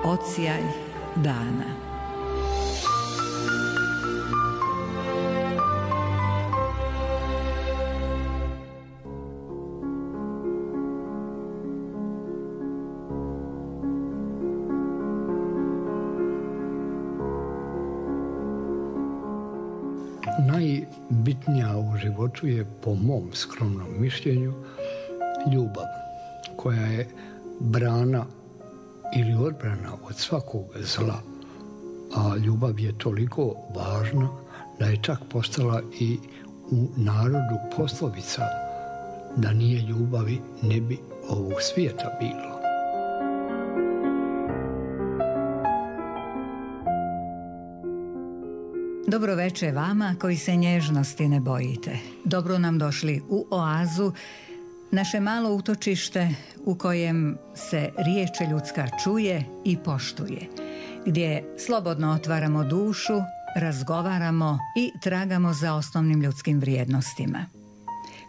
odsjaj dana. Najbitnija u životu je, po mom skromnom mišljenju, ljubav, koja je brana ili odbrana od svakog zla. A ljubav je toliko važna da je čak postala i u narodu poslovica: da nije ljubavi ne bi ovog svijeta bilo. Dobro večer vama koji se nježnosti ne bojite. Dobro nam došli u oazu, naše malo utočište u kojem se riječ ljudska čuje i poštuje, gdje slobodno otvaramo dušu, razgovaramo i tragamo za osnovnim ljudskim vrijednostima.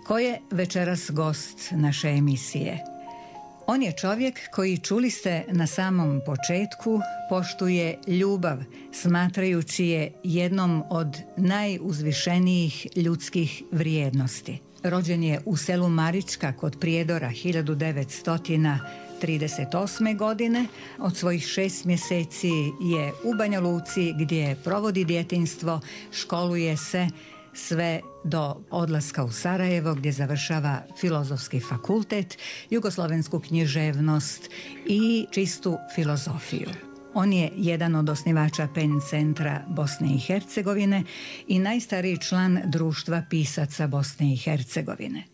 Ko je večeras gost naše emisije? On je čovjek koji, čuli ste na samom početku, poštuje ljubav, smatrajući je jednom od najuzvišenijih ljudskih vrijednosti. Rođen je u selu Marička kod Prijedora 1938. godine. Od svojih 6 mjeseci je u Banja Luci, gdje provodi djetinjstvo, školuje se sve do odlaska u Sarajevo, gdje završava Filozofski fakultet, jugoslovensku književnost i čistu filozofiju. On je jedan od osnivača PEN centra Bosne i Hercegovine i najstariji član Društva pisaca Bosne i Hercegovine.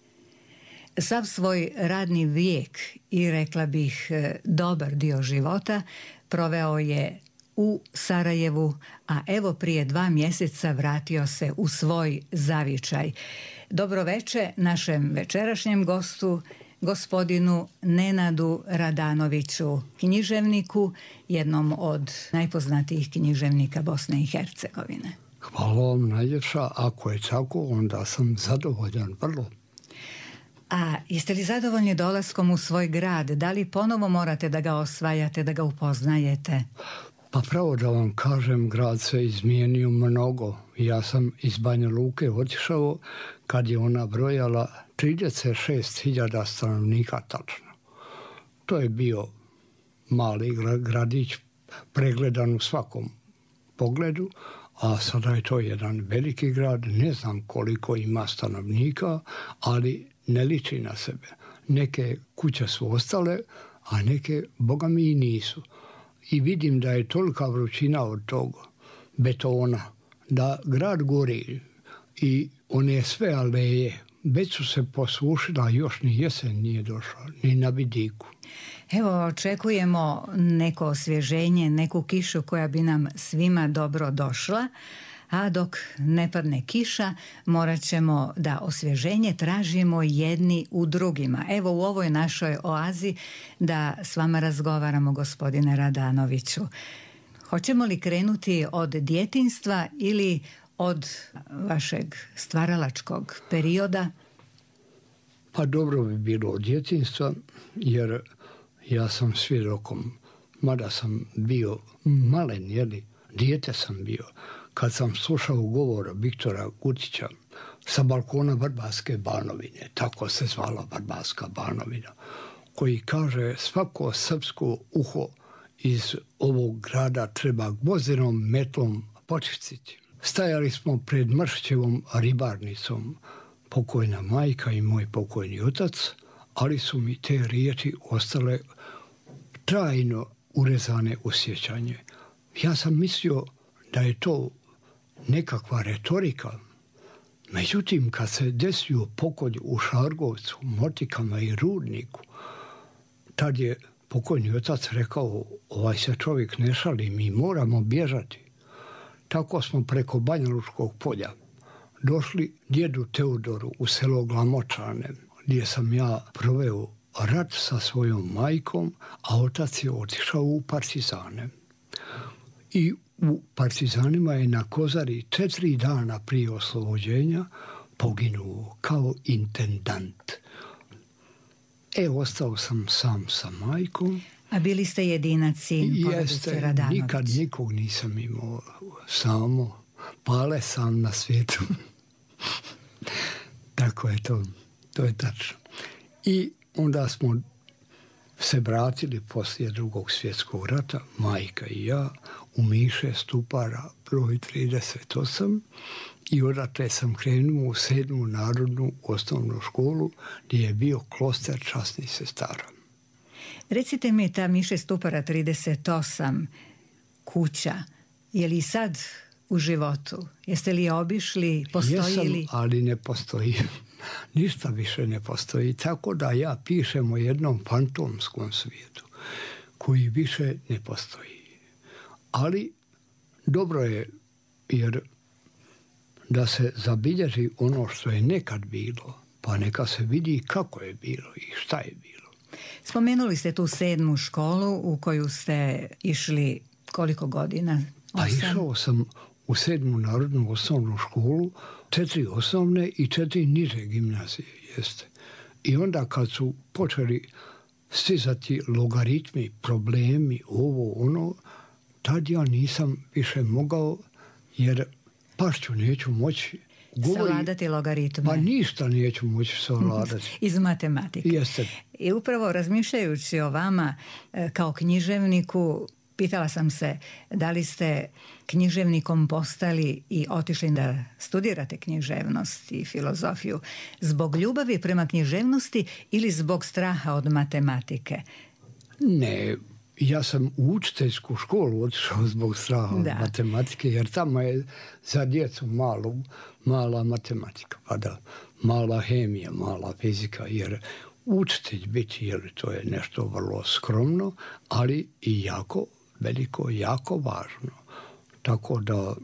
Sav svoj radni vijek i, rekla bih, dobar dio života proveo je u Sarajevu, a evo prije 2 mjeseca vratio se u svoj zavičaj. Dobro večer našem večerašnjem gostu, gospodinu Nenadu Radanoviću, književniku, jednom od najpoznatijih književnika Bosne i Hercegovine. Hvala vam najljepša. Ako je tako, onda sam zadovoljan vrlo. A jeste li zadovoljni dolaskom u svoj grad? Da li ponovo morate da ga osvajate, da ga upoznajete? Pa pravo da vam kažem, grad se izmijenio mnogo. Ja sam iz Banja Luke otišao kad je ona brojala 36.000 stanovnika tačno. To je bio mali gradić, pregledan u svakom pogledu, a sada je to jedan veliki grad. Ne znam koliko ima stanovnika, ali ne liči na sebe. Neke kuće su ostale, a neke, boga mi, i nisu. I vidim da je tolika vrućina od tog betona, da grad gori i one sve aleje već su se posušila, još ni jesen nije došla, ni na vidiku. Evo, očekujemo neko osvježenje, neku kišu koja bi nam svima dobro došla, a dok ne padne kiša, morat ćemo da osvježenje tražimo jedni u drugima. Evo, u ovoj našoj oazi da s vama razgovaramo, gospodine Radanoviću. Hoćemo li krenuti od djetinjstva ili od vašeg stvaralačkog perioda? Pa dobro bi bilo od djetinjstva, jer ja sam svjedokom, mada sam bio malen, dijete sam bio, kad sam slušao govor Viktora Gutića sa balkona Vrbarske Banovine, tako se zvala Vrbarska Banovina, koji kaže: svako srpsko uho iz ovog grada treba gvozdenom metlom počistiti. Stajali smo pred Mršićevom ribarnicom, pokojna majka i moj pokojni otac, ali su mi te riječi ostale trajno urezane u sjećanje. Ja sam mislio da je to nekakva retorika. Međutim, kad se desio pokolj u Šargovcu, Motikama i Rudniku, tad je pokojni otac rekao: ovaj se čovjek ne šali, mi moramo bježati. Tako smo preko Banja Lučkog polja došli djedu Teodoru u selo Glamočane, gdje sam ja proveo rat sa svojom majkom, a otac je otišao u partizane. I u partizanima je na Kozari 4 dana prije oslobođenja poginuo kao intendant. Ostao sam sam sa majkom. A bili ste jedinac sin porodice Radanović? Nikad nikog nisam imao, samo Pale sam na svijetu. Tako je to je tačno. I onda smo se vratili poslije Drugog svjetskog rata, majka i ja, u Miše Stupara broj 38 i odatle sam krenuo u 7. narodnu osnovnu školu gdje je bio kloster časnih sestara. Recite mi, ta Miše Stupara 38 kuća, je li sad u životu? Jeste li je obišli? Postoji li? Jesam, ali ne postoji. Ništa više ne postoji. Tako da ja pišem o jednom fantomskom svijetu koji više ne postoji. Ali dobro je, jer da se zabilježi ono što je nekad bilo, pa neka se vidi kako je bilo i šta je bilo. Spomenuli ste tu 7. školu u koju ste išli koliko godina? 8? Pa išao sam u 7. narodnu osnovnu školu, 4 osnovne i 4 niže gimnazije, jeste. I onda kad su počeli stizati logaritmi, problemi, ovo, ono, tad ja nisam više mogao, jer pašću neću moći savladati logaritme. Pa ništa neću moći savladati. Iz matematike. Jeste. I upravo razmišljajući o vama kao književniku, pitala sam se da li ste književnikom postali i otišli da studirate književnost i filozofiju zbog ljubavi prema književnosti ili zbog straha od matematike? Ne, ja sam u učiteljsku školu otišao zbog straha od matematike, jer tamo je za djecu mala matematika, pa da, mala hemija, mala fizika, jer učitelj biti, jer to je nešto vrlo skromno, ali i jako veliko, jako važno. Tako da,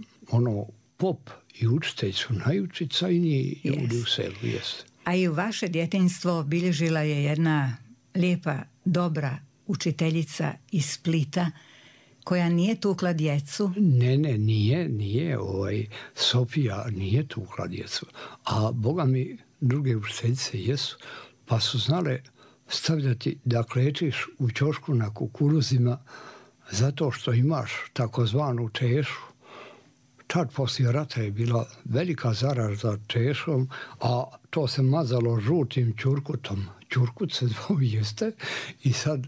pop i učitelj su najučicajniji ljudi u selu, jeste. A i vaše djetinjstvo bilježila je jedna lijepa, dobra učiteljica iz Splita, koja nije tukla djecu? Ne, nije. Sofija nije tukla djecu. A Boga mi, druge učiteljice jesu, pa su znale stavljati da klečiš u ćošku na kukuruzima zato što imaš takozvanu češu. Tad poslije rata je bila velika zaraza češom, a to se mazalo žutim ćurkutom. Ćurkut se zvao, jeste. I sad,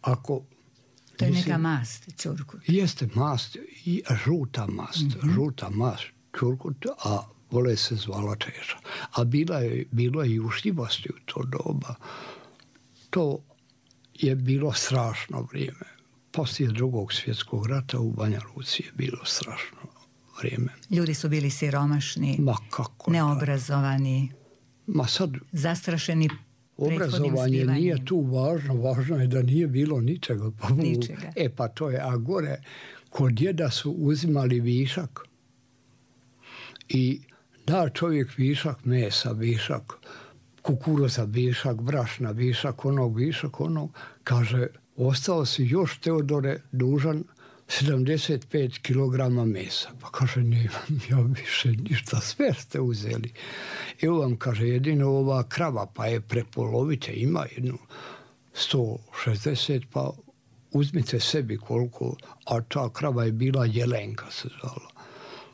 ako... To je neka mast, ćurkut. Jeste mast, i žuta mast, ćurkut, a vole se zvala češa. A bilo je i ušljivosti u to doba. To je bilo strašno vrijeme. Poslije Drugog svjetskog rata u Banja Luci je bilo strašno vrijeme. Ljudi su bili siromašni, neobrazovani, zastrašeni prethodnim zbivanjem. Obrazovanje nije tu važno je da nije bilo ničega. Pa to je, a gore kod djeda su uzimali višak i da čovjek višak mesa, višak kukuruza, višak brašna, višak onog, kaže, ostao si još, Teodore, dužan 75 kilograma mesa. Pa kaže, nemam ja više ništa, sve ste uzeli. Evo vam, kaže, jedino ova krava, pa je prepolovite, ima jednu 160, pa uzmite sebi koliko, a ta krava je bila Jelenka se zvala.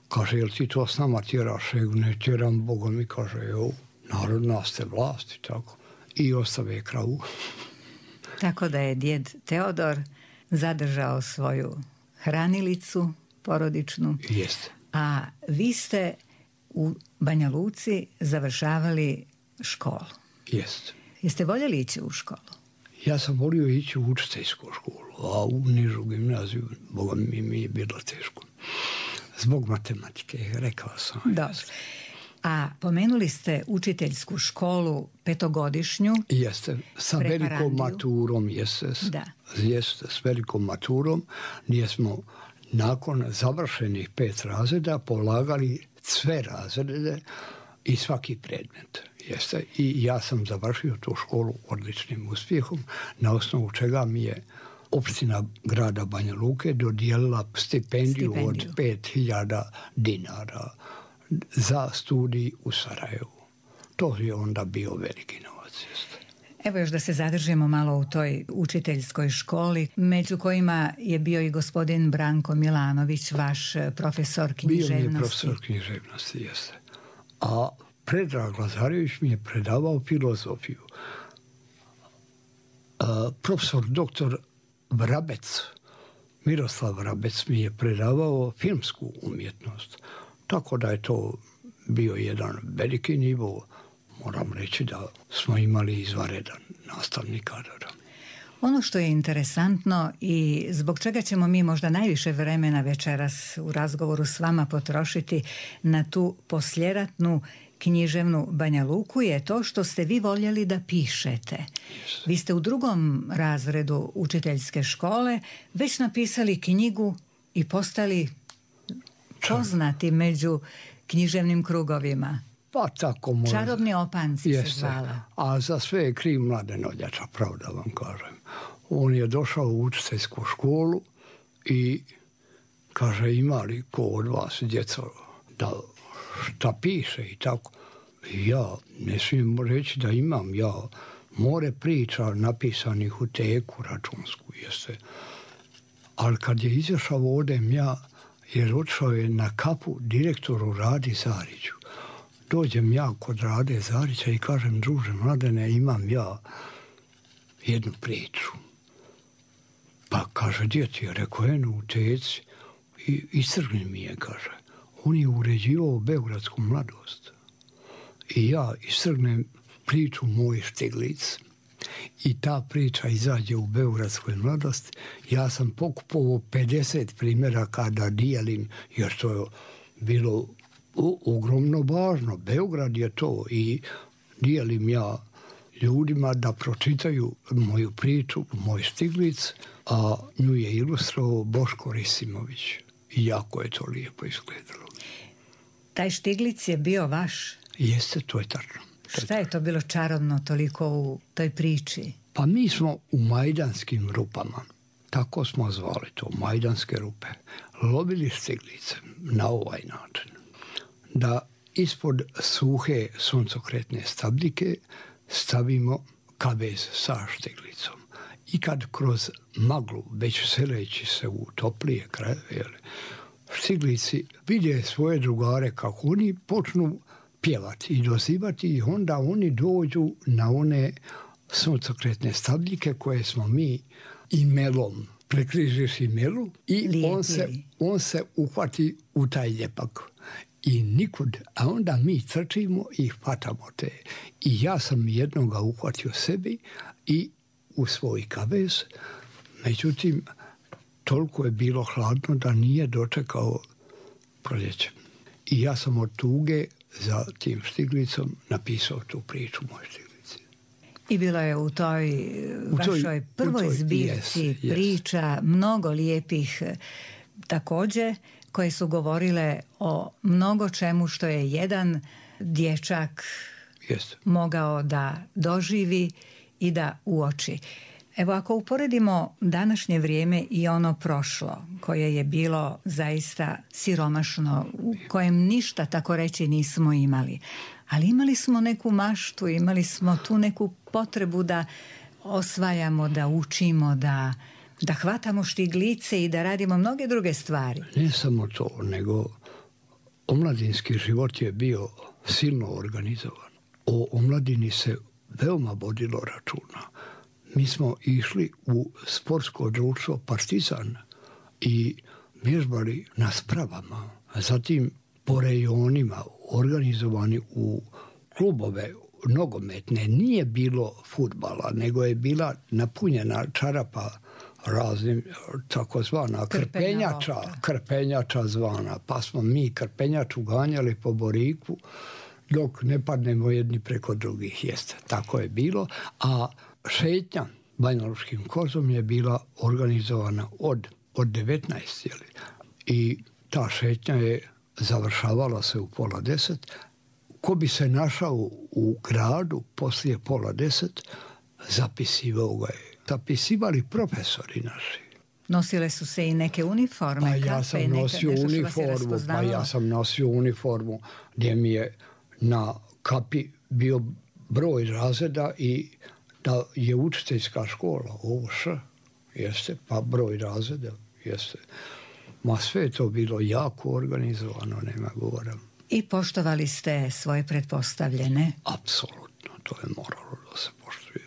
Kaže, jel ti to s nama tjeraš? Ne tjeram, Boga mi, kaže, evo, narodna ste vlasti, tako. I ostave kravu. Tako da je djed Teodor zadržao svoju hranilicu porodičnu. Jeste. A vi ste u Banja Luci završavali školu. Jeste. Jeste voljeli ići u školu? Ja sam volio ići u učiteljsku školu, a u nižu gimnaziju, Boga mi je bilo teško. Zbog matematike, rekao sam. Dobro. A pomenuli ste učiteljsku školu 5-godišnju. Jeste, sa velikom maturom, jeste, s velikom maturom, gdje smo nakon završenih 5 razreda polagali sve razrede i svaki predmet. Jeste, i ja sam završio tu školu odličnim uspjehom, na osnovu čega mi je opština grada Banja Luke dodijelila stipendiju od 5.000 dinara za studij u Sarajevu. To je onda bio veliki novac. Evo još da se zadržimo malo u toj učiteljskoj školi, među kojima je bio i gospodin Branko Milanović, vaš profesor književnosti. Bio mi je profesor književnosti, jeste. A Predrag Lazarević mi je predavao filozofiju. Profesor doktor Vrabec, Miroslav Vrabec mi je predavao filmsku umjetnost. Tako da je to bio jedan veliki nivo. Moram reći da smo imali izvanredan nastavni kadar. Ono što je interesantno i zbog čega ćemo mi možda najviše vremena večeras u razgovoru s vama potrošiti na tu posljeratnu književnu Banja Luku je to što ste vi voljeli da pišete. Yes. Vi ste u 2. razredu učiteljske škole već napisali knjigu i postali poznati među književnim krugovima. Pa tako možda. Čarobni opanci Jeste. se zvala. A za sve je kriv Mladen Oljača, pravda vam kažem. On je došao u učiteljsku školu i kaže, ima li ko od vas djeco da šta piše i tako. Ja ne smijem reći da imam, ja more priča napisanih u teku računsku, jeste. Ali kad je izašao odem ja, jer otišao je na kapu direktoru Radi Zariću. Dođem ja kod Rade Zarića i kažem, druže Mladene, imam ja jednu priču. Pa kaže, gdje ti je? Rekao, eno u teci. I istrgni mi je, kaže. On je uređivao Beogradsku mladost. I ja istrgnem priču Moj Štiglic. I ta priča izađe u Beogradskoj mladosti. Ja sam pokupovao 50 primjeraka da dijelim, jer to je bilo ogromno važno. Beograd je to i dijelim ja ljudima da pročitaju moju priču, Moj Štiglic, a nju je ilustrovao Boško Risimović. I jako je to lijepo izgledalo. Taj Štiglic je bio vaš? Jeste, to je tačno. Šta je to bilo čarobno toliko u toj priči? Pa mi smo u Majdanskim rupama, tako smo zvali to, Majdanske rupe, lovili štiglice na ovaj način. Da ispod suhe suncokretne stabljike stavimo kavez sa štiglicom. I kad kroz maglu, već seleći se u toplije krajeve, štiglici vide svoje drugare kako oni počnu pjevati i dozivati i onda oni dođu na one suncokretne stabljike koje smo mi imelom, prekrižiš imelu i on se uhvati u taj ljepak. I nikud, a onda mi trčimo i hvatamo te. I ja sam jednoga uhvatio sebi i u svoj kavez. Međutim, toliko je bilo hladno da nije dočekao proljeće. I ja sam od tuge za tim Štiglicom napisao tu priču Moj Štiglici. I bilo je u toj vašoj prvoj zbirci priča mnogo lijepih također, koje su govorile o mnogo čemu što je jedan dječak mogao da doživi i da uoči. Evo, ako uporedimo današnje vrijeme i ono prošlo, koje je bilo zaista siromašno, u kojem ništa, tako reći, nismo imali, ali imali smo neku maštu, imali smo tu neku potrebu da osvajamo, da učimo, da hvatamo štiglice i da radimo mnoge druge stvari. Ne samo to, nego omladinski život je bio silno organizovan. O omladini se veoma vodilo računa. Mi smo išli u sportsko društvo Partizan i vježbali na spravama. Zatim po rejonima organizovani u klubove nogometne. Nije bilo fudbala, nego je bila napunjena čarapa raznim takozvana krpenjača zvana. Pa smo mi krpenjaču ganjali po Boriku dok ne padnemo jedni preko drugih. Jeste, tako je bilo. A šetnja Banjalučkim kozom je bila organizovana od 19. I ta šetnja je završavala se u 9:30. Ko bi se našao u gradu poslije 9:30, zapisivao ga je. Zapisivali profesori naši. Nosile su se i neke uniforme. Pa ja sam nosio uniformu gdje mi je na kapi bio broj razreda i da je učiteljska škola, ovo jeste, pa broj razreda, jeste. Ma sve je to bilo jako organizovano, nema govora. I poštovali ste svoje pretpostavljene? Apsolutno, to je moralo da se poštuje.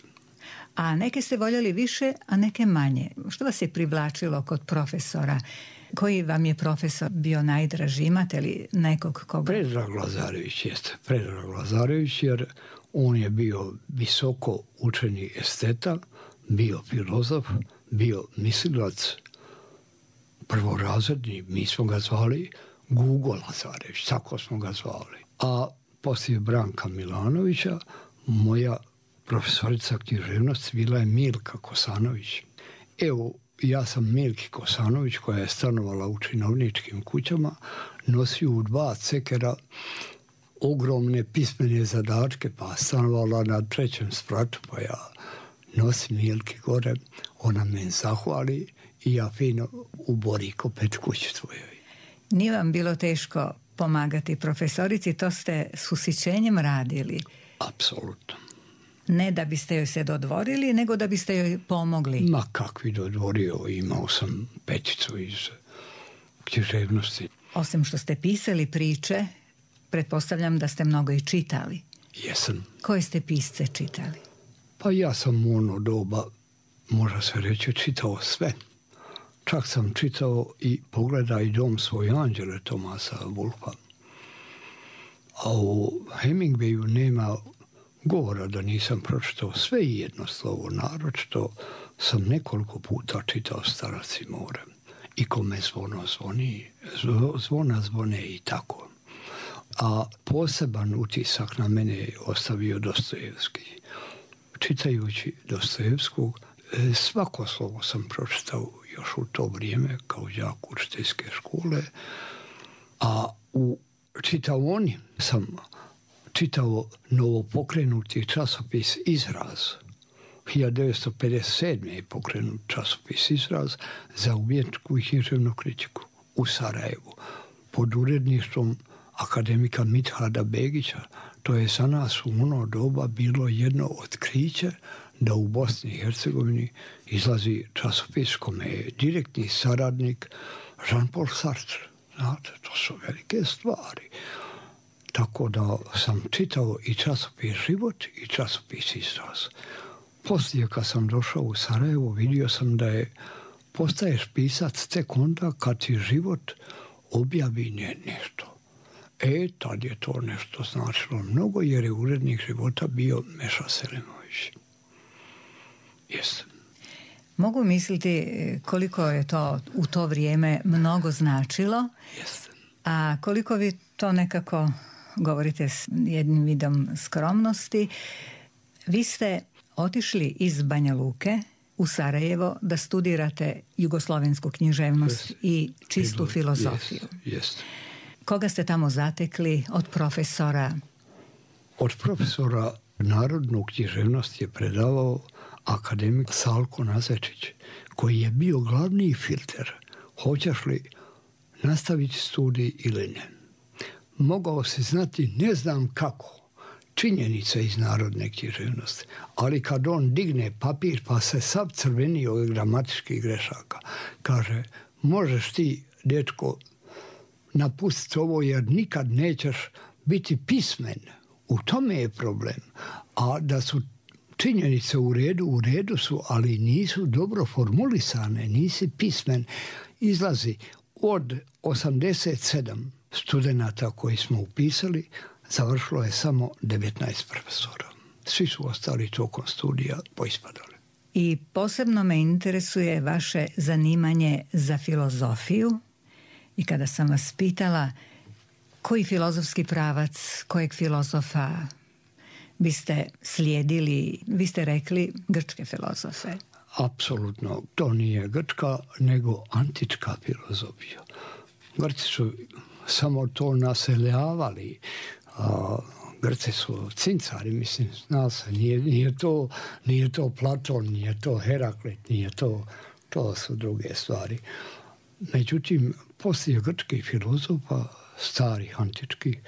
A neke ste voljeli više, a neke manje. Što vas je privlačilo kod profesora? Koji vam je profesor bio najdraži? Imate li nekog koga? Predrag Lazarević jeste. Predrag Lazarević, jer on je bio visoko učeni esteta, bio filozof, bio mislilac, prvorazredni, mi smo ga zvali Gugo Lazarević, tako smo ga zvali. A poslije Branka Milanovića, moja profesorica književnosti bila je Milka Kosanović. Evo, ja sam Milki Kosanović, koja je stanovala u činovničkim kućama, nosio u 2 cekera ogromne pismene zadačke, pa stanovala na 3. spratu, pa ja nosim Milki gore, ona me zahvali i ja fino u Boriko pet kući tvojoj. Nije vam bilo teško pomagati profesorici, to ste s ushićenjem radili? Apsolutno. Ne da biste joj se dodvorili, nego da biste joj pomogli? Ma kakvi dodvorio, imao sam peticu iz književnosti. Osim što ste pisali priče, pretpostavljam da ste mnogo i čitali. Jesam. Koje ste pisce čitali? Pa ja sam u ono doba, može se reći, čitao sve. Čak sam čitao i Pogledaj dom svoj anđele Tomasa Wolfa. A u Hemingwayu nema govora da nisam pročitao sve i jedno slovo. Naročito sam nekoliko puta čitao Starac i more. I Kome zvono zvoni, zvona zvone i tako. A poseban utisak na mene je ostavio Dostojevski. Čitajući Dostojevskog, svako slovo sam pročitao još u to vrijeme kao đak učiteljske škole, a u čitaoni sam čitao novopokrenuti časopis Izraz. 1957. je pokrenut časopis Izraz za umjetničku i književnu kritiku u Sarajevu pod uredništvom akademika Mithada Begića. To je za nas u ono doba bilo jedno otkriće da u Bosni i Hercegovini izlazi časopis kome je direktni saradnik Jean-Paul Sartre. Znate, to su velike stvari. Tako da sam čitao i časopis Život i časopis Izraz. Poslije kad sam došao u Sarajevo, vidio sam da postaješ pisac tek onda kad ti Život objavi nešto. Tad je to nešto značilo mnogo, jer je urednik Života bio Meša Selimović. Jeste. Mogu misliti koliko je to u to vrijeme mnogo značilo. Jeste. A koliko vi to nekako govorite s jednim vidom skromnosti. Vi ste otišli iz Banja Luke u Sarajevo da studirate jugoslovensku književnost i čistu filozofiju. Jeste. Koga ste tamo zatekli od profesora? Od profesora narodnu književnost je predavao akademik Salko Nazečić, koji je bio glavni filter. Hoćeš li nastaviti studij ili ne? Mogao se znati ne znam kako činjenice iz narodne književnosti, ali kad on digne papir pa se sav crveni od gramatičkih grešaka, kaže, možeš ti, dečko, napustiti ovo jer nikad nećeš biti pismen. U tome je problem. A da su činjenice u redu su, ali nisu dobro formulisane, nisi pismen. Izlazi od 87 studenata koji smo upisali, završilo je samo 19 profesora. Svi su ostali tokom studija poispadali. I posebno me interesuje vaše zanimanje za filozofiju. I kada sam vas pitala koji filozofski pravac, kojeg filozofa biste slijedili, vi ste rekli grčke filozofe. Apsolutno, to nije grčka, nego antička filozofija. Grci su samo to naseljavali. Grci su cincari, mislim, zna se, nije to Platon, nije to Heraklit, nije to su druge stvari. Međutim, poslije grčkih filozofa, starih, antičkih,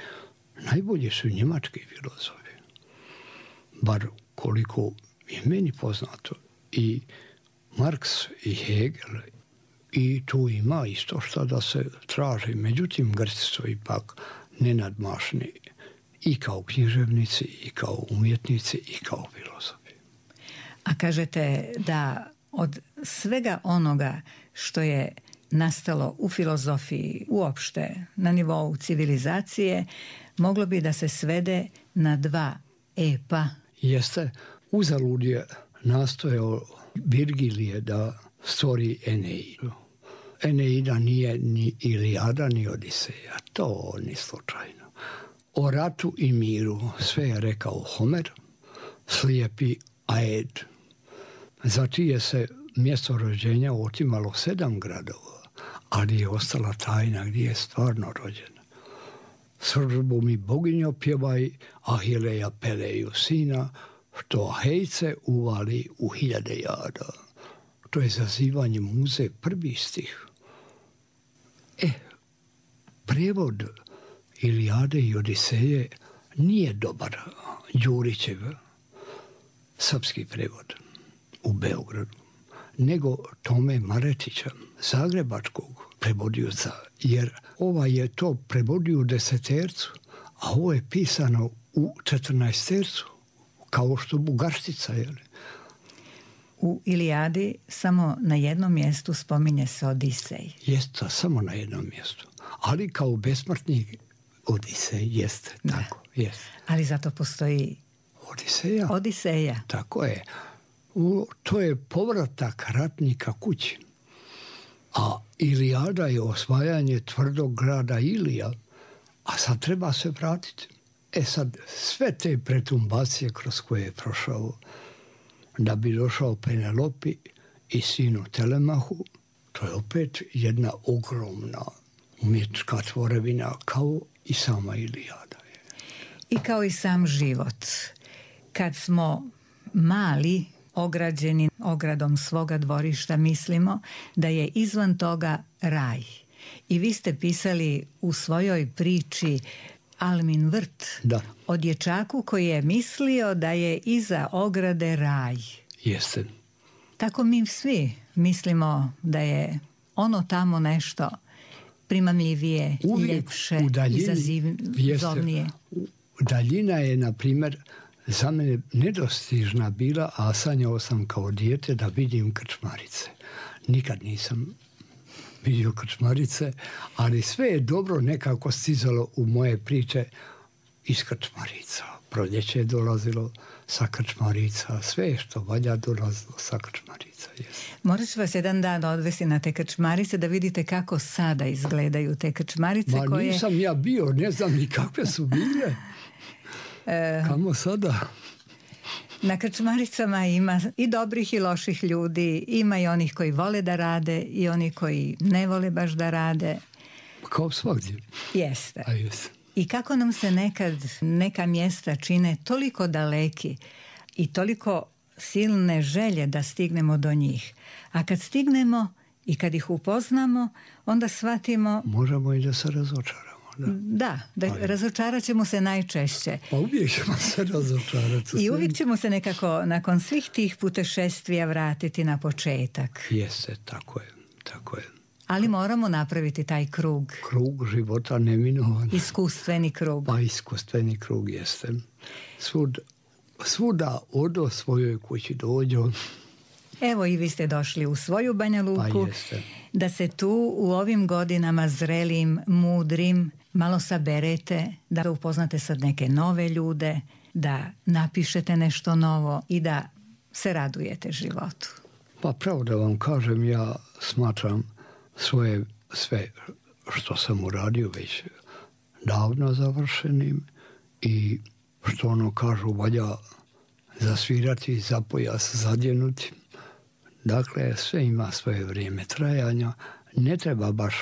najbolji su njemački filozofi. Bar koliko je meni poznato. I Marks i Hegel, i tu ima isto što da se traži. Međutim, Grci su ipak nenadmašni i kao književnici, i kao umjetnici, i kao filozofi. A kažete da od svega onoga što je nastalo u filozofiji uopšte na nivou civilizacije, moglo bi da se svede na 2 epa. Jeste, uzalud je nastojao Virgilije da stvori Eneidu. Eneida nije ni Ilijada ni Odiseja, to ni slučajno. O ratu i miru sve je rekao Homer, slijepi Aed, za čije se mjesto rođenja otimalo 7 gradova, ali je ostala tajna gdje je stvarno rođen. Srbu mi boginjo pjevaj, Ahileja Peleju sina, što hejce uvali u 1000 jada. To je zazivanje muze, 1. stih. Prijevod Ilijade i Odiseje nije dobar, Đurićev srpski prijevod u Beogradu, nego Tome Maretića, zagrebačkog prevodioca, jer ovaj je to prevodio u 10-tercu, a ovo je pisano u 14-tercu, kao što Bugarštica, jel? U Ilijadi samo na jednom mjestu spominje se Odisej. Jeste, samo na jednom mjestu. Ali kao besmrtni Odisej, jeste, tako, jeste. Ali zato postoji Odiseja. Tako je. To je povratak ratnika kući. A Ilijada je osvajanje tvrdog grada Ilija, a sad treba se vratiti. Sad, sve te pretumbacije kroz koje je prošao da bi došao Penelopi i sinu Telemahu, to je opet jedna ogromna umjetnička tvorevina, kao i sama Ilijada. I kao i sam život. Kad smo mali, ograđeni ogradom svoga dvorišta, mislimo da je izvan toga raj. I vi ste pisali u svojoj priči Almin vrt, o dječaku koji je mislio da je iza ograde raj. Jeste. Tako mi svi mislimo da je ono tamo nešto primamljivije, ljepše, izazovnije. Daljina je, na primjer, za mene nedostižna bila, a sanjao sam kao dijete da vidim krčmarice. Nikad nisam vidio krčmarice, ali sve je dobro nekako stizalo u moje priče iz krčmarica. Proljeće je dolazilo sa krčmarica, sve što valja dolazilo sa krčmarica. Yes. Morat ću vas jedan dan odvesti na te krčmarice da vidite kako sada izgledaju te krčmarice. Nisam ja bio, ne znam ni kakve su bile. Kamo sada? Na krčmaricama ima i dobrih i loših ljudi, ima i onih koji vole da rade i oni koji ne vole baš da rade. Kao svakdje. Jeste. A jeste. I kako nam se nekad neka mjesta čine toliko daleki i toliko silne želje da stignemo do njih. A kad stignemo i kad ih upoznamo, onda shvatimo... Možemo i da se razočaramo. Da, razočarat ćemo se najčešće. Pa uvijek ćemo se razočarati. I uvijek ćemo se nekako nakon svih tih putešestvija vratiti na početak. Jeste, tako je. Ali moramo napraviti taj krug. Krug života neminovan. Iskustveni krug. Pa iskustveni krug jeste. Svuda odo svojoj kući dođu. Evo i vi ste došli u svoju Banja Luku, da se tu u ovim godinama zrelim, mudrim, malo saberete, da upoznate sad neke nove ljude, da napišete nešto novo i da se radujete životu. Pa pravo da vam kažem, ja smatram sve što sam uradio već davno završenim i što ono kažu valja zasvirati, za pojas zadjenuti. Dakle, sve ima svoje vrijeme trajanja. Ne treba baš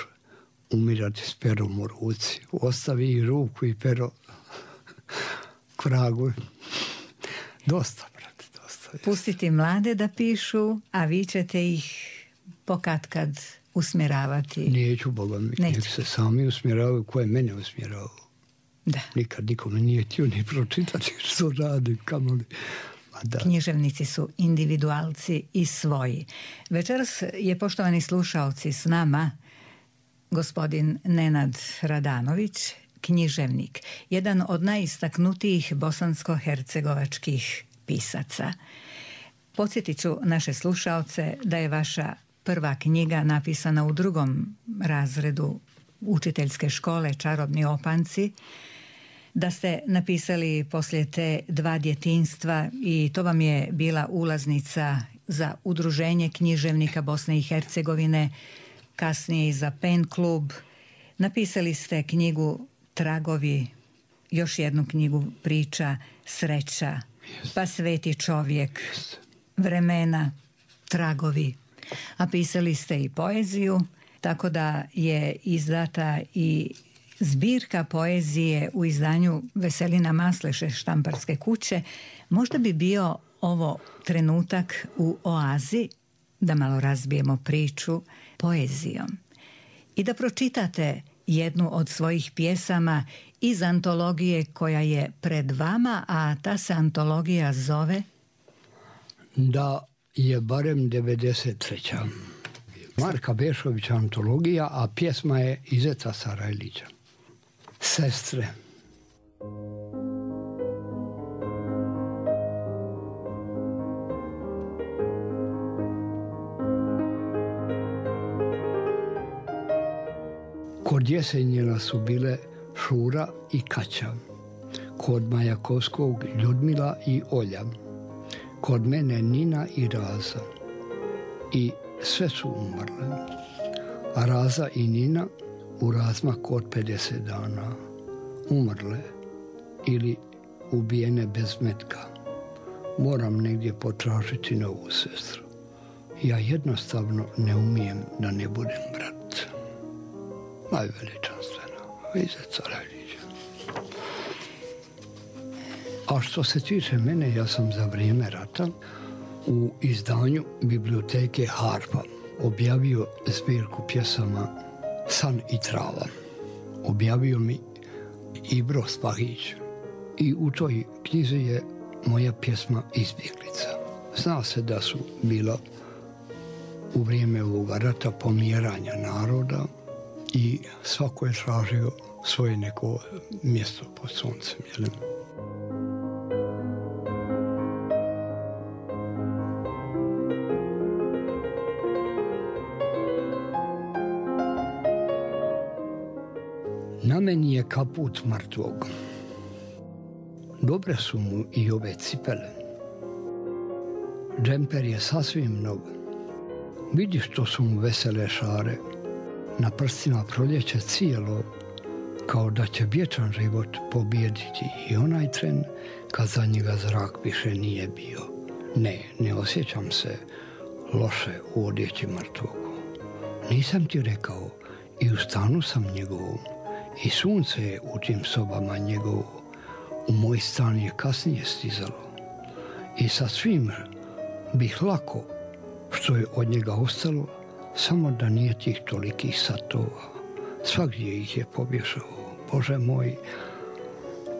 umirati s perom u ruci. Ostavi i ruku i pero k vragu. Dosta, brate, dosta. Pustiti mlade da pišu, a vi ćete ih pokatkad usmjeravati. Neću, Boga mi. Nek se sami usmjeravaju koje mene usmjeravaju. Da. Nikad nikome nije htio ni pročitati što radi, kamoli. Pa Književnici su individualci i svoji. Večeras je, poštovani slušaoci, s nama gospodin Nenad Radanović, književnik, jedan od najistaknutijih bosansko-hercegovačkih pisaca. Podsjetit ću naše slušaoce da je vaša prva knjiga napisana u 2. razredu učiteljske škole Čarobni opanci, da ste napisali poslije te 2 djetinjstva i to vam je bila ulaznica za Udruženje književnika Bosne i Hercegovine, kasnije i za PEN klub. Napisali ste knjigu Tragovi, još jednu knjigu Priča, Sreća, pa Sveti čovjek, Vremena, Tragovi. A pisali ste i poeziju, tako da je izdata i zbirka poezije u izdanju Veselina Masleše štamparske kuće. Možda bi bio ovo trenutak u oazi da malo razbijemo priču poezijom i da pročitate jednu od svojih pjesama iz antologije koja je pred vama, a ta se antologija zove Da je barem 93. Marka Bešovića antologija, a pjesma je Izeta Sarajlića. Sestre. Kod Jesenjina su bile Šura i Kaća, kod Majakovskog Ljudmila i Olja, kod mene Nina i Raza, i sve su umrle. A Raza i Nina u razmak od 50 dana umrle ili ubijene bez metka. Moram negdje potražiti novu sestru. Ja jednostavno ne umijem da ne budem brat. Najveličanstvena Izeta Sarajlića. A što se tiče mene, ja sam za vrijeme rata u izdanju biblioteke Harpa objavio zbirku pjesama San i trava. Objavio mi Ibro Spahić i u toj knjizi je moja pjesma Izbjeglica. Zna se da su bila u vrijeme ovoga rata pomjeranja naroda i svako je tražio svoje neko mjesto pod suncem. Jel? Na meni je kaput mrtvog. Dobre su mu i ove cipele. Džemper je sasvim nov. Vidi što su mu vesele šare. Na prstima proljeće cijelo, kao da će vječan život pobijediti i onaj tren kad za njega zrak više nije bio. Ne osjećam se loše u odjeći mrtvog. Nisam ti rekao, i u stanu sam njegovom, i sunce je u tim sobama njegovo, u moj stan je kasnije stizalo. I sa svim bih lako što je od njega ostalo, samo da nije tih tolikih satova. Svagdje ih je pobješao. Bože moj,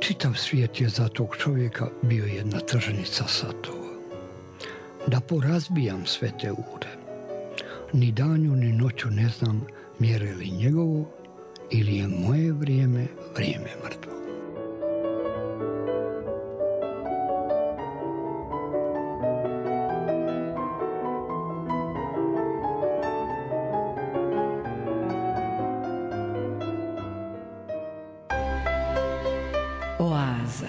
čitav svijet je za tog čovjeka bio jedna tržnica satova. Da porazbijam sve te ure. Ni danju ni noću ne znam mjere li njegovo ili je moje vrijeme mrtvo. Oaza.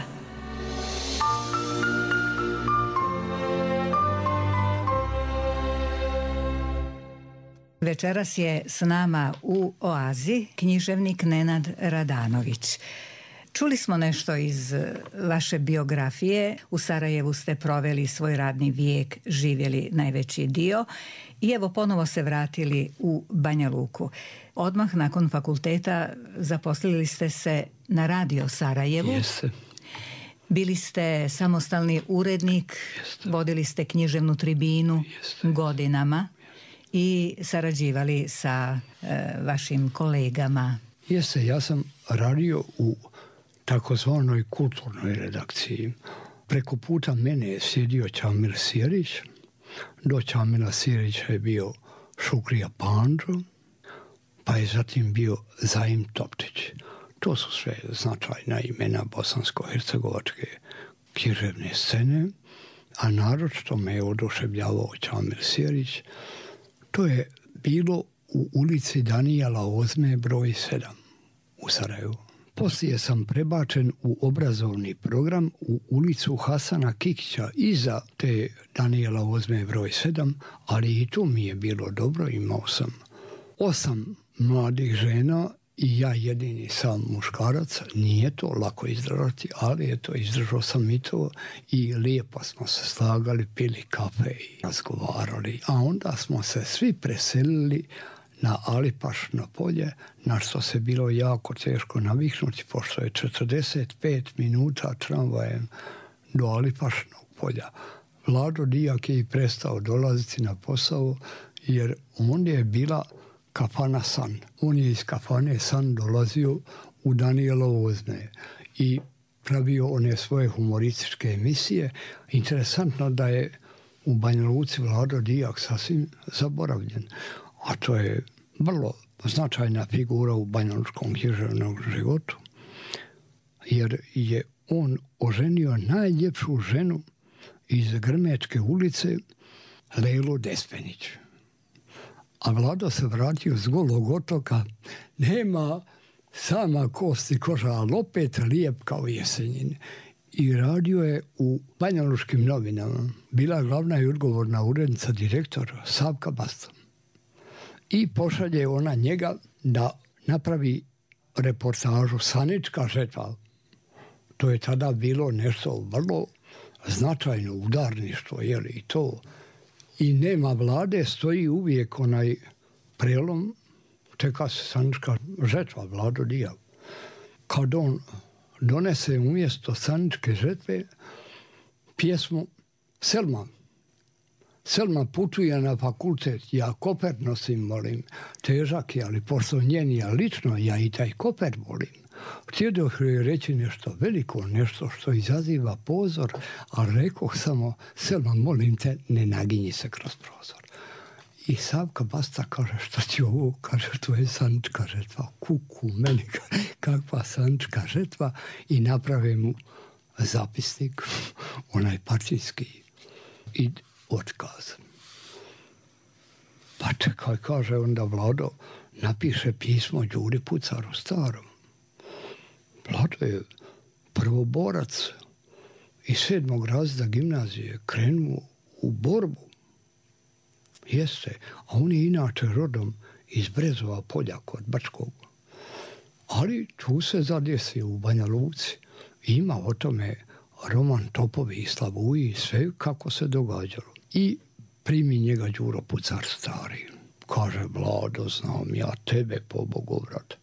Večeras je s nama u oazi književnik Nenad Radanović. Čuli smo nešto iz vaše biografije. U Sarajevu ste proveli svoj radni vijek, živjeli najveći dio i evo ponovo se vratili u Banja Luku. Odmah nakon fakulteta zaposlili ste se na Radio Sarajevu. Jeste. Bili ste samostalni urednik, vodili ste književnu tribinu godinama i sarađivali sa vašim kolegama. Jeste, ja sam radio u takozvanoj kulturnoj redakciji Preko puta mene je sjedio Čamil Sjerić, do Čamila Sjerića je bio Šukrija Pandžo, pa je zatim bio Zaim Toptić. To su sve značajna imena bosansko-hercegovačke književne scene, a naročito me je oduševljavao Čamil Sjerić. To je bilo u ulici Danijela Ozme broj 7 u Sarajevu. Poslije sam prebačen u obrazovni program u ulicu Hasana Kikića iza te Danijela Ozme broj 7, ali i tu mi je bilo dobro, imao sam 8 mladih žena i ja jedini sam muškarac. Nije to lako izdržati, ali eto, izdržao sam i to i lijepo smo se slagali, pili kafe i razgovarali. A onda smo se svi preselili na Alipašno polje, na što se bilo jako teško naviknuti, pošto je 45 minuta tramvajem do Alipašnog polja. Vlado Dijak je i prestao dolaziti na posao, jer on je bila kafana San. On je iz kafane San dolazio u Danijelovo Ozme i pravio one svoje humorističke emisije. Interesantno da je u Banja Luci Vlado Dijak sasvim zaboravljen. A to je vrlo značajna figura u banjalučkom književnom životu, jer je on oženio najljepšu ženu iz Grmečke ulice, Lejlu Despenić. A Vlado se vratio s Golog otoka, nema sama kosti koža, ali opet lijep kao Jesenjin. I radio je u Banjalučkim novinama. Bila glavna i odgovorna urednica direktor Savka Basta. I pošalje ona njega da napravi reportažu Sanička žetva. To je tada bilo nešto vrlo značajno, udarništvo, jeli, i to. I nema Vlade, stoji uvijek onaj prelom, čeka se Sanička žetva, Vlado Dijak. Kad on donese umjesto Saničke žetve pjesmu Selma. Selma putuje na fakultet, ja koper nosim, molim, težak je, ali pošto njeni ja lično, ja i taj koper volim. Htjedoh joj reći nešto veliko, nešto što izaziva pozor, ali rekoh samo, Selma, molim te, ne naginji se kroz prozor. I Savka Basta kaže, šta ti ovo? Kaže, to je Sanička žetva. Kuku, meni, kakva Sanička žetva? I naprave mu zapisnik, onaj partijski, i otkaz. Pa čekaj, kaže onda Vlado, napiše pismo Đuri Pucaru starom. Vlado je prvoborac iz 7. razreda gimnazije, krenuo u borbu. Jeste, a on je inače rodom iz Brezova polja kod Brčkog. Ali tu se zadesio u Banja Luci. Ima o tome roman Topovi i Slavuji, sve kako se događalo. I primi njega Đuro Pucar stari. Kaže, Vlado, znam ja tebe, pobogu, vrat.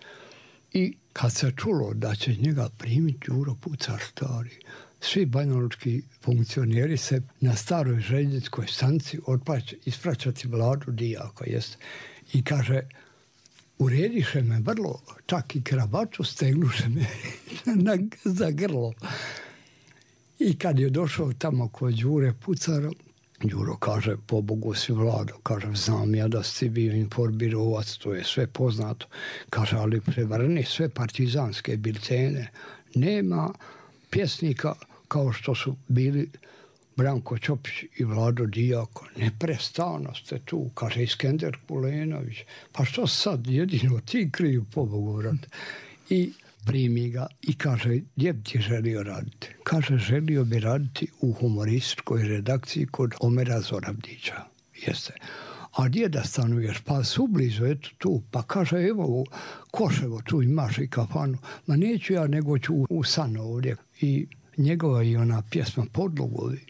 I kad se čulo da će njega primiti Đuro Pucar stari, svi banjalučki funkcioneri se na staroj željezničkoj stanici ispraćati Vladu Dijaka. Jest. I kaže, urediše me vrlo, čak i kravatu stegnuše me za grlo. I kad je došao tamo kod Đure Pucara, Đuro kaže, pobogu si Vlado, kaže, znam ja da si bio informirovac, to je sve poznato. Kaže, ali prevrni sve partizanske biltene. Nema pjesnika kao što su bili Branko Ćopić i Vlado Dijak. Neprestano ste tu, kaže Iskender Kulenović. Pa što sad, jedino ti kriju, pobogu, vrat. I primi ga i kaže, gdje bi ti želio raditi? Kaže, želio bi raditi u humorističkoj redakciji kod Omera Zoravdića. Jeste. A gdje da stanuješ? Pa sublizu, eto tu. Pa kaže, evo u Koševo, tu imaš i kafanu. Ma neću ja, nego ću u San ovdje. I njegova i ona pjesma Podlogovi.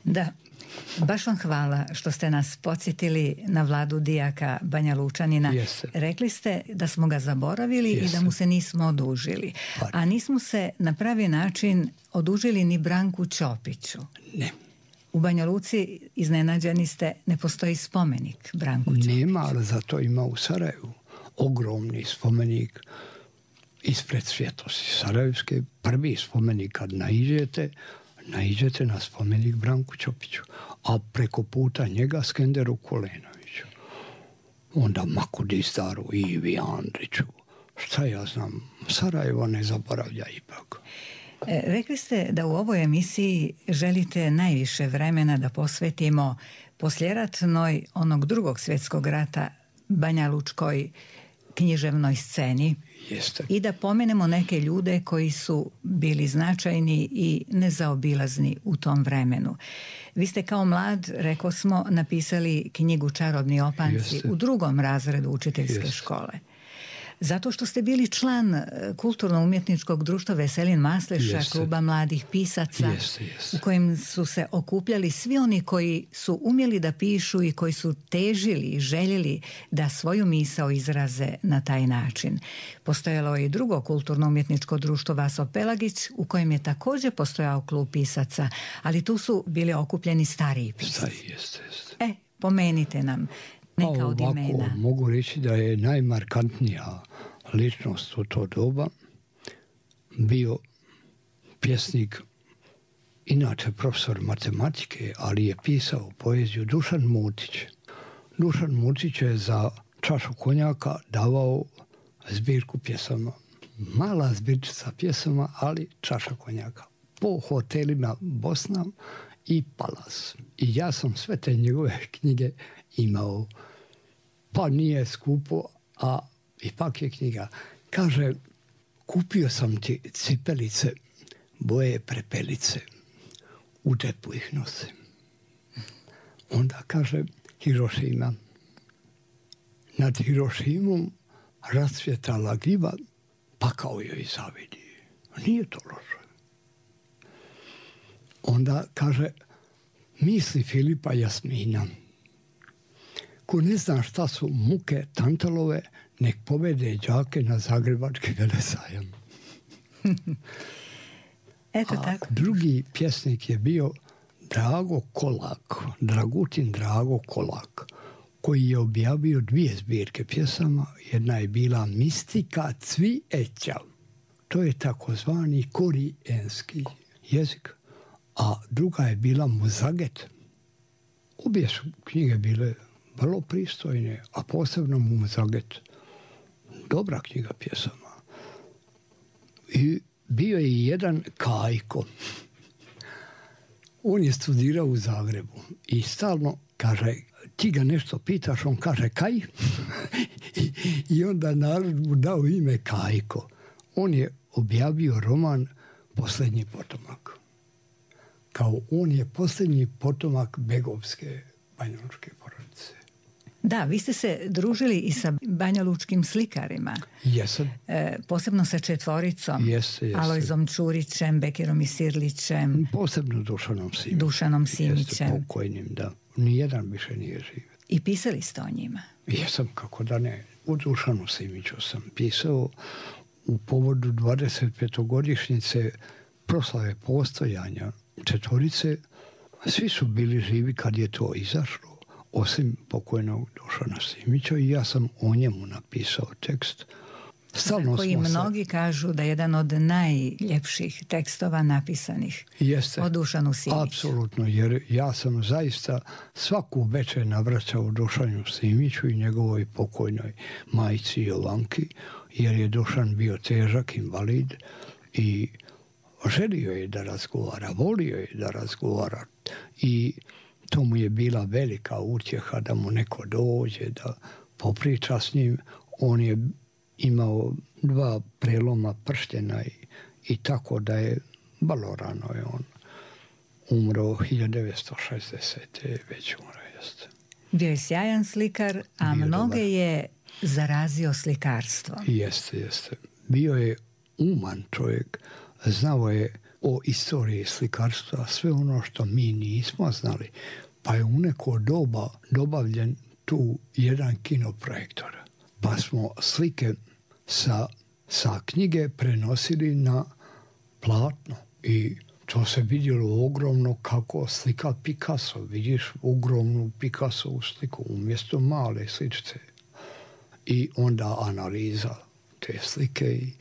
Da. Baš vam hvala što ste nas podsjetili na Vladu Dijaka, Banja Lučanina. Jeste. Rekli ste da smo ga zaboravili. Jeste. I da mu se nismo odužili. A nismo se na pravi način odužili ni Branku Ćopiću. Ne. U Banja Luci iznenađeni ste, ne postoji spomenik Branku Ćopiću. Nema, ali zato ima u Sarajevu ogromni spomenik ispred Svjetosti Sarajevske. Prvi spomenik kad naiđete naiđete na spomenik Branku Ćopiću, a preko puta njega Skenderu Kulenoviću. Onda Makudistaru i Ivi Andriću. Šta ja znam, Sarajevo ne zaboravlja ipak. Rekli ste da u ovoj emisiji želite najviše vremena da posvetimo posljeratnoj onog Drugog svjetskog rata banjalučkoj književnoj sceni. Jeste. I da pomenemo neke ljude koji su bili značajni i nezaobilazni u tom vremenu. Vi ste kao mlad, rekao smo, napisali knjigu Čarobni opanci u 2. razredu učiteljske škole. Zato što ste bili član kulturno-umjetničkog društva Veselin Masleša, kluba mladih pisaca, u kojem su se okupljali svi oni koji su umjeli da pišu i koji su težili i željeli da svoju misao izraze na taj način. Postojalo je i drugo kulturno-umjetničko društvo Vaso Pelagić, u kojem je također postojao klub pisaca, ali tu su bili okupljeni stariji pisaci. Pomenite nam neka od imena. Mogu reći da je najmarkantnija ličnost u to doba bio pjesnik, inače profesor matematike, ali je pisao poeziju, Dušan Mutić. Dušan Mutić je za čašu konjaka davao zbirku pjesama. Mala zbirčica pjesama, ali čaša konjaka. Po hotelima Bosna i Palas. I ja sam sve te njegove knjige imao. Pa nije skupo, a ipak je knjiga. Kaže, kupio sam ti cipelice, boje prepelice, u džepu ih nosim. Onda kaže, Hirošima. Nad Hirošimom rasvjetala gljiva, pakao joj zavidi. Nije to loše. Onda kaže, misli Filipa Jasmina. Ko ne zna šta su muke Tantalove, nek povede đake na Zagrebački velesajam. Eto tako. Drugi pjesnik je bio Drago Kolak, Dragutin Drago Kolak, koji je objavio 2 zbirke pjesama. Jedna je bila Mistika cvijeća. To je takozvani korijenski jezik. A druga je bila Muzaget. Obje su knjige bile vrlo pristojne, a posebno Muzaget. Dobra knjiga pjesama. I bio je i jedan Kajko. On je studirao u Zagrebu i stalno kaže, ti ga nešto pitaš, on kaže kaj? I onda narod mu dao ime Kajko. On je objavio roman Posljednji potomak. Kao on je posljednji potomak begovske banjalučke porodice. Da, vi ste se družili i sa banjalučkim slikarima. Jesam. Posebno sa četvoricom. Jeste. Alojzom Čurićem, Bekirom Isirlićem. Posebno Dušanom Simićem. Jeste, pokojnim, da. Nijedan više nije živ. I pisali ste o njima? Jesam, kako da ne. U Dušanu Simiću sam pisao u povodu 25-godišnjice proslave postojanja četvorice. Svi su bili živi kad je to izašlo, osim pokojnog Dušana Simića, i ja sam o njemu napisao tekst. Za koji mnogi kažu da je jedan od najljepših tekstova napisanih o Dušanu Simiću. Apsolutno, jer ja sam zaista svaku večer navraćao Dušanu Simiću i njegovoj pokojnoj majci Jovanki, jer je Dušan bio težak invalid i želio je da razgovara, volio je da razgovara i to mu je bila velika utjeha da mu neko dođe, da popriča s njim. On je imao 2 preloma prštena i tako da je vrlo rano je on umro 1960. već umro jeste. Bio je sjajan slikar, a mnoge je zarazio slikarstvo. Jeste. Bio je uman čovjek, znao je o istoriji slikarstva sve ono što mi nismo znali, pa je u neko doba dobavljen tu jedan kinoprojektor. Pa smo slike sa knjige prenosili na platno i to se vidjelo ogromno kako slika Picasso. Vidiš ogromnu Picassovu sliku umjesto male sličice. I onda analiza te slike i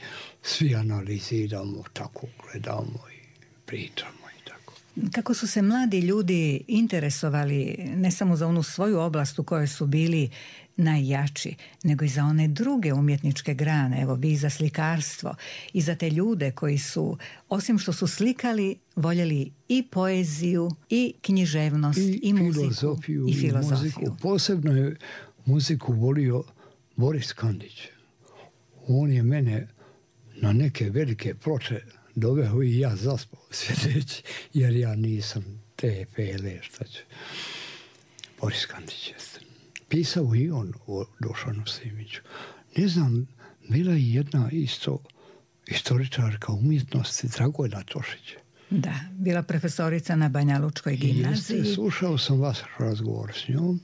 svi analiziramo, tako gledamo i pričamo i tako. Kako su se mladi ljudi interesovali ne samo za onu svoju oblast u kojoj su bili najjači, nego i za one druge umjetničke grane, evo vi za slikarstvo i za te ljude koji su, osim što su slikali, voljeli i poeziju, i književnost, i muziku, i filozofiju. Posebno je muziku volio Boris Kandić. On je mene na neke velike ploče doveo i ja zaspao sjedeći, jer ja nisam te pele, šta će. Boris Kandić jeste. Pisao i on o Dušanu Simiću. Ne znam, bila je jedna isto istoričarka umjetnosti, Dragojna Tošić. Da, bila profesorica na Banjalučkoj gimnaziji. Jeste, slušao sam vaš razgovor s njom.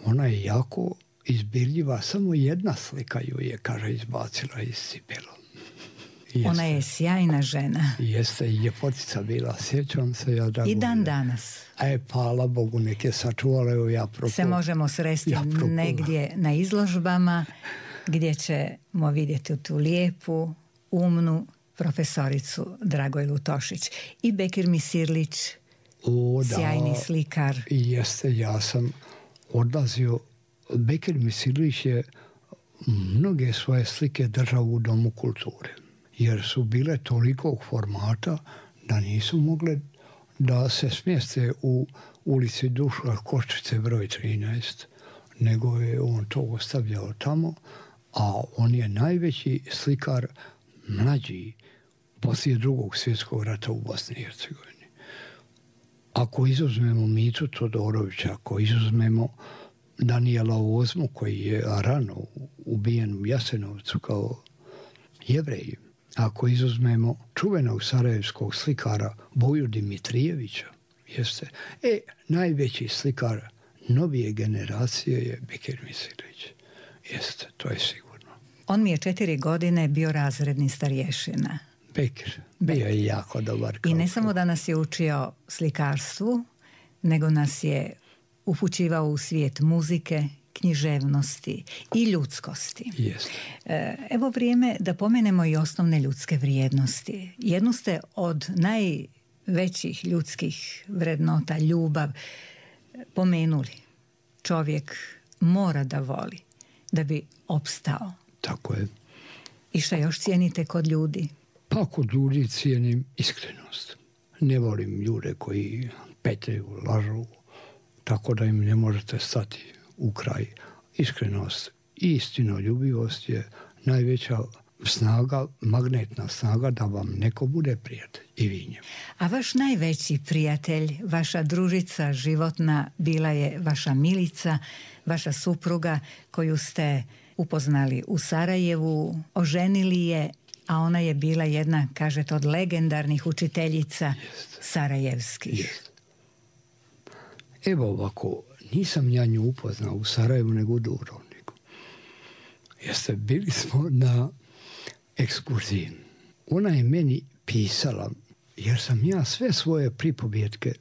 Ona je jako izbirljiva, samo jedna slika ju je, kaže, izbacila iz cipela. Jeste. Ona je sjajna žena. Jeste, i ljepotica bila, sjećam se ja da... I dan danas. Hvala Bogu, neke sačuvale, evo ja se možemo sresti negdje na izložbama, gdje ćemo vidjeti tu lijepu, umnu profesoricu Dragojlu Tošić. I Bekir Misirlić, sjajni slikar. Jeste, ja sam odlazio. Bekir Misirlić je mnoge svoje slike držao u Domu kulture, jer su bile tolikog formata da nisu mogle da se smjeste u ulici Duška Koščice broj 13, nego je on to ostavljao tamo, a on je najveći slikar mlađi poslije Drugog svjetskog rata u Bosni i Hercegovini. Ako izuzmemo Mitu Todorovića, ako izuzmemo Danijela Ozmu, koji je rano ubijen u Jasenovcu kao Jevrej, ako izuzmemo čuvenog sarajevskog slikara Boju Dimitrijevića, jeste, najveći slikar novije generacije je Bekir Misirlić. Jeste, to je sigurno. On mi je 4 godine bio razredni starješina. Bekir, bio je jako dobar. I ne samo da nas je učio slikarstvu, nego nas je upućivao u svijet muzike, književnosti i ljudskosti. Jeste. Evo vrijeme da pomenemo i osnovne ljudske vrijednosti. Jednu ste od najvećih ljudskih vrednota, ljubav, pomenuli. Čovjek mora da voli da bi opstao. Tako je. I šta još cijenite kod ljudi? Pa kod ljudi cijenim iskrenost. Ne volim ljude koji petljaju, lažu, tako da im ne možete stati u kraj. Iskrenost i istinoljubivost je najveća snaga, magnetna snaga da vam neko bude prijatelj i vi njemu. A vaš najveći prijatelj, vaša družica životna bila je vaša Milica, vaša supruga koju ste upoznali u Sarajevu, oženili je, a ona je bila jedna, kažete, od legendarnih učiteljica sarajevskih. Jest. Evo ovako, nisam ja nju upoznao u Sarajevu nego u Dubrovniku. Jeste, bili smo na ekskurziji. Ona je meni pisala, jer sam ja sve svoje pripovjetke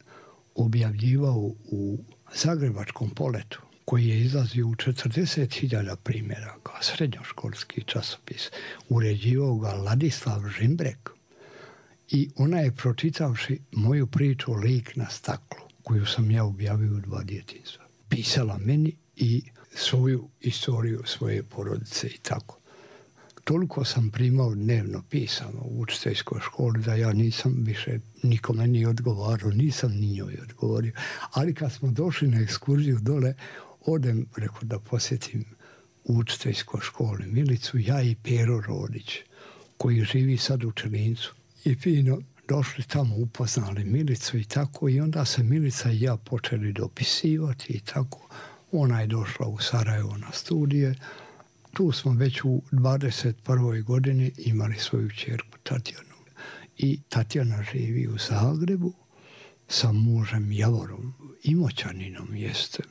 objavljivao u Zagrebačkom poletu, koji je izlazio u 40.000 primjeraka, srednjoškolski časopis. Uređivao ga Ladislav Žimbrek. I ona je, pročitavši moju priču Lik na staklu, koju sam ja objavio u 2 djetinjstva, pisala meni i svoju istoriju svoje porodice i tako. Toliko sam primao dnevno pisano u učiteljskoj školi da ja nisam više nikome ni odgovarao, nisam ni njoj odgovorio. Ali kad smo došli na ekskurziju dole, odem, rekao, da posjetim u učiteljskoj školi Milicu, ja i Pero Rodić, koji živi sad u Čelincu. I fino došli tamo, upoznali Milicu i tako, i onda se Milica i ja počeli dopisivati i tako. Ona je došla u Sarajevo na studije. Tu smo već u 21. godini imali svoju ćerku Tatjanu. I Tatjana živi u Zagrebu sa mužem Javorom, Imoćaninom jeste.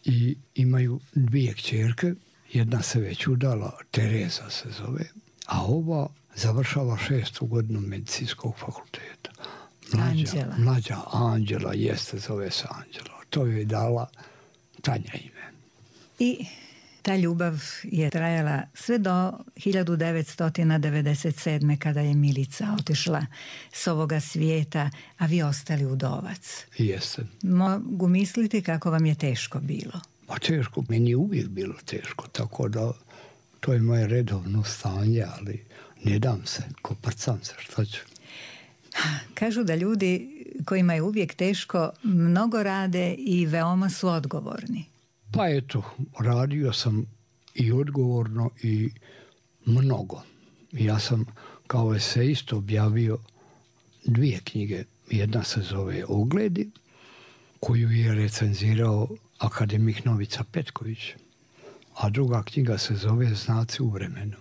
I imaju 2 kćerke, jedna se već udala, Tereza se zove, a ova završava 6. godinu medicinskog fakulteta. Mlađa Anđela jeste, zove se Anđela. To joj je dala Tanja ime. I Ta ljubav je trajala sve do 1997. kada je Milica otišla s ovoga svijeta, a vi ostali udovac. Jeste. Mogu misliti kako vam je teško bilo. Pa teško, meni je uvijek bilo teško, tako da to je moje redovno stanje, ali ne dam se, koprcam se, što ću. Kažu da ljudi kojima je uvijek teško mnogo rade i veoma su odgovorni. Pa eto, radio sam i odgovorno i mnogo. Ja sam kao esejist objavio 2 knjige. Jedna se zove Ogledi, koju je recenzirao akademik Novica Petković, a druga knjiga se zove Znaci u vremenu.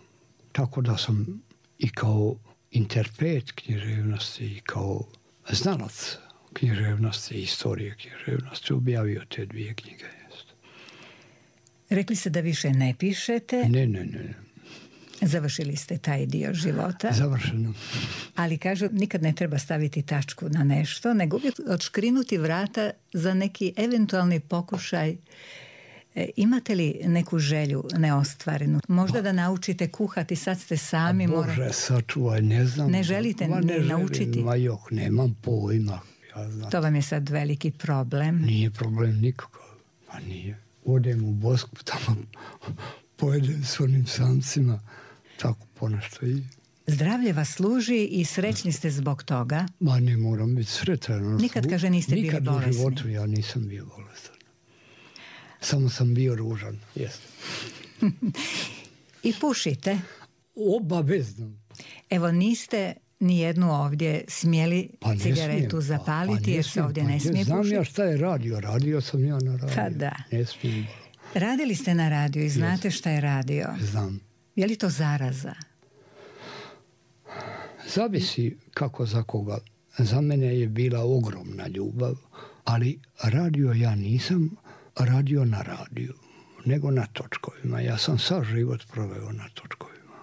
Tako da sam i kao interpret književnosti i kao znalac književnosti i istorije književnosti objavio te 2 knjige. Rekli ste da više ne pišete. Ne. Završili ste taj dio života. Završeno. Ali kažu, nikad ne treba staviti tačku na nešto, nego uvijek odškrinuti vrata za neki eventualni pokušaj. Imate li neku želju neostvarenu? Možda da naučite kuhati, sad ste sami. Bože, sačuvaj, ne znam. Ne želite naučiti? Nemam pojma. Ja znam. To vam je sad veliki problem. Nije problem nikakav. Pa nije. Odem u Bosku, tamo pojedem s onim samcima, tako ponešto i... Zdravlje vas služi i srećni ste zbog toga. Ma ne moram biti sretan. Nikad, kaže, niste bili bolesni. Nikad u životu ja nisam bio bolestan. Samo sam bio ružan, jeste. I pušite? Obavezno. Evo, niste ni jednu ovdje smjeli cigaretu zapaliti, jer se ovdje ne smije pušiti. Znam ja šta je radio. Radio sam ja na radio. Pa da. Ne smijem. Radili ste na radiju i znate šta je radio? Znam. Je li to zaraza? Zavisi kako za koga. Za mene je bila ogromna ljubav, ali radio ja nisam radio na radiju, nego na točkovima. Ja sam sav život proveo na točkovima.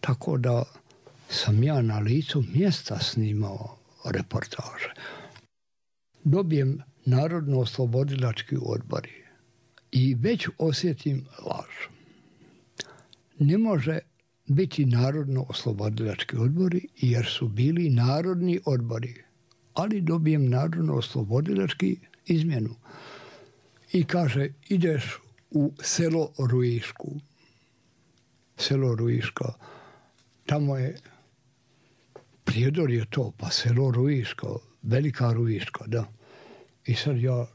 Tako da sam ja na licu mjesta snimao reportaže. Dobijem Narodno-oslobodilački odbori i već osjetim laž. Ne može biti Narodno-oslobodilački odbori jer su bili narodni odbori, ali dobijem Narodno-oslobodilački izmjenu. I kaže, ideš u selo Ruišku. Selo Ruiška. Tamo je Prijedor je to, pa selo Ruiška, Velika Ruiška, da. I sad ja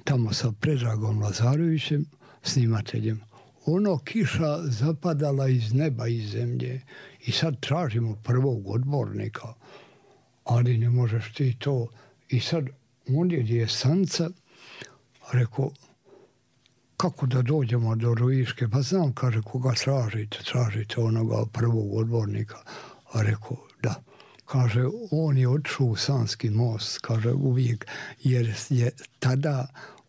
tamo sa Predragom Lazarevićem, snimateljem, kiša zapadala iz neba i zemlje i sad tražimo prvog odbornika, ali ne možeš ti to. I sad ondje gdje je stanca, rekao, kako da dođemo do Ruiške? Pa znam, kaže, koga tražite onoga prvog odbornika. A rekao, da. Kaže, on je otišao u Sanski most, kaže, uvijek, jer je tada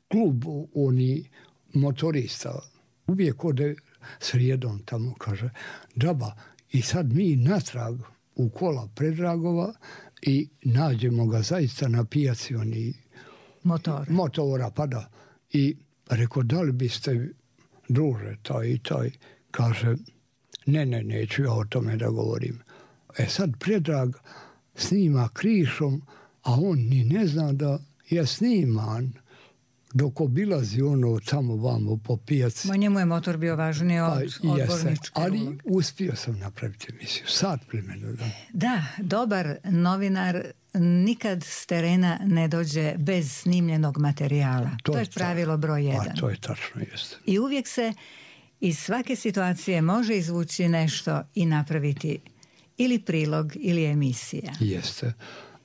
klub oni motorista uvijek ode srijedom tamo, kaže, džaba. I sad mi natrag u kola Predragova i nađemo ga zaista na pijaci oni motora, pa da. I rekao, da li biste, druže, taj i taj, kaže, ne, neću ja o tome da govorim. Sad Predrag snima krišom, a on ni ne zna da je sniman dok obilazi ono tamo vamo po pijaci. Njemu je motor bio važniji od odborničke. Ali uspio sam napraviti emisiju. Sat vremena. Da, dobar novinar nikad s terena ne dođe bez snimljenog materijala. To je pravilo broj 1. To je tačno, jeste. I uvijek se iz svake situacije može izvući nešto i napraviti ili prilog ili emisija. Jeste.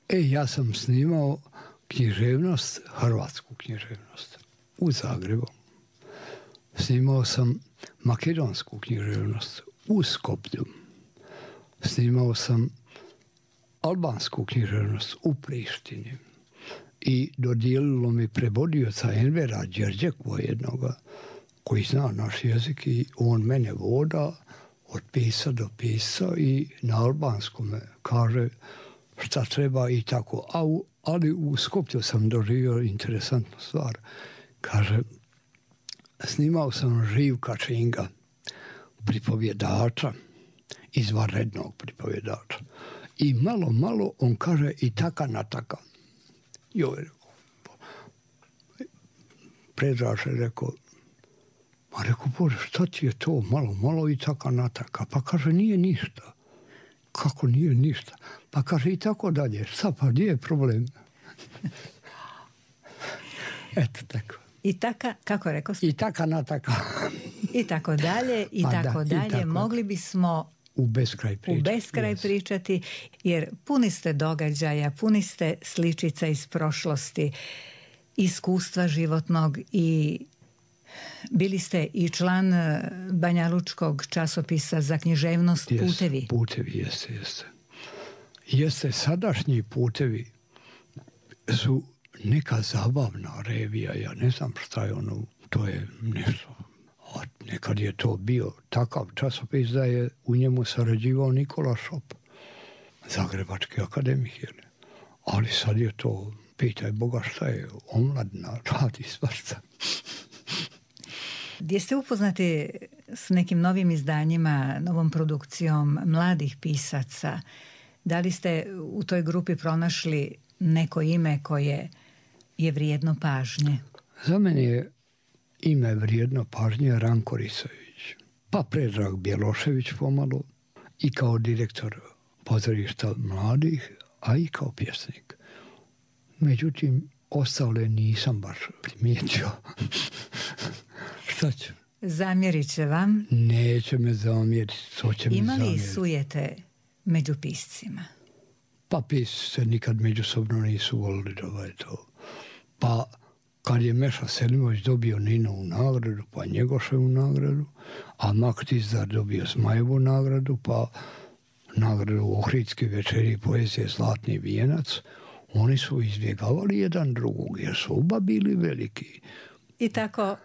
Ja sam snimao književnost, hrvatsku književnost u Zagrebu. Snimao sam makedonsku književnost u Skoplju. Snimao sam albansku književnost u Prištini. I dodijelilo mi prevodioca Envera Đerđekova jednoga, koji zna naš jezik i on mene voda od pisa do pisa i na albanskom kaže šta treba i tako. Ali u Skoplju sam doživio interesantnu stvar. Kaže, snimao sam Živka Činga, pripovjedača, izvanrednog pripovjedača. I malo on kaže i taka nataka. Joj, rekao, Predraž je rekao, a rekao, Bože, šta ti je to malo i taka nataka? Pa kaže, nije ništa. Kako nije ništa? Pa kaže, i tako dalje. Šta pa, gdje je problem? Eto tako. I taka, kako rekao sam? I taka nataka. I tako dalje, i tako dalje. Tako. Mogli bismo u beskraj pričati, jer puni ste događaja, puni ste sličica iz prošlosti, iskustva životnog i bili ste i član banjalučkog časopisa za književnost Putevi. Putevi, jeste. Sadašnji Putevi su neka zabavna revija, ja ne znam šta je ono, to je nešto. A nekad je to bio takav časopis da je u njemu sarađivao Nikola Šop, zagrebački akademik, ali sad je to, pitaj Boga šta je, omladina, radi svašta. Gdje ste upoznati s nekim novim izdanjima, novom produkcijom mladih pisaca? Da li ste u toj grupi pronašli neko ime koje je vrijedno pažnje? Za mene je ime vrijedno pažnje Ranko Risović, pa Predrag Bjelošević pomalo, i kao direktor pozorišta mladih, a i kao pjesnik. Međutim, ostale nisam baš primijetio. Šta ću? Zamjerit će vam? Neće me zamjeriti, to će mi zamjeriti. Ima li sujete među piscima? Pa pisci se nikad međusobno nisu volili to. Pa kad je Meša Selimović dobio Ninovu nagradu, pa Njegoševu nagradu, a Mak Tizdar dobio Zmajevu nagradu, pa nagradu Ohridske večeri poezije Zlatni vijenac, oni su izbjegavali jedan drugog, jer su oba bili veliki. I tako,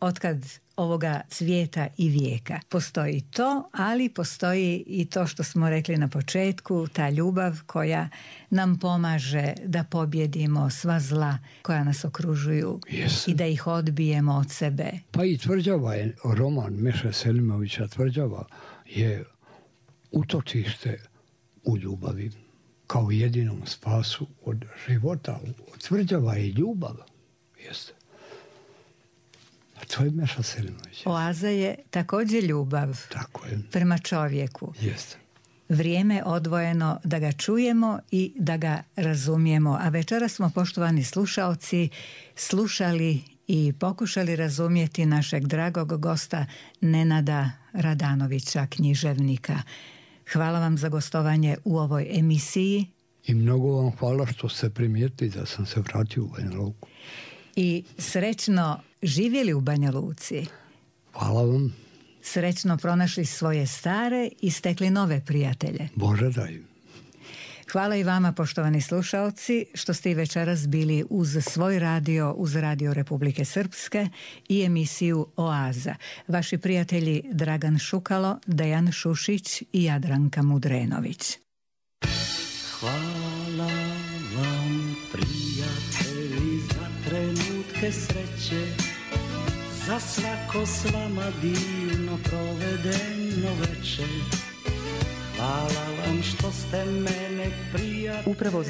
otkad ovoga svijeta i vijeka postoji to, ali postoji i to što smo rekli na početku, ta ljubav koja nam pomaže da pobjedimo sva zla koja nas okružuju i da ih odbijemo od sebe. Pa i Tvrđava je, roman Meše Selimovića Tvrđava je utočište u ljubavi, kao jedinom spasu od života. Tvrđava je ljubav. Jeste. To je Meša Selimović. Oaza je također ljubav. Tako je. Prema čovjeku. Jeste. Vrijeme odvojeno da ga čujemo i da ga razumijemo. A večeras smo, poštovani slušaoci, slušali i pokušali razumjeti našeg dragog gosta Nenada Radanovića, književnika. Hvala vam za gostovanje u ovoj emisiji. I mnogo vam hvala što ste primijetili da sam se vratio u Banja Luku. I srećno živjeli u Banja Luci. Hvala vam. Srećno pronašli svoje stare i stekli nove prijatelje. Bože daj. Hvala i vama, poštovani slušaoci, što ste i večeras bili uz svoj radio, uz Radio Republike Srpske i emisiju Oaza. Vaši prijatelji Dragan Šukalo, Dejan Šušić i Jadranka Mudrenović. Hvala vam, prijatelji, za trenutke sreće, za svako s vama divno provedeno večer. Hvala vam što ste mene prijatelji.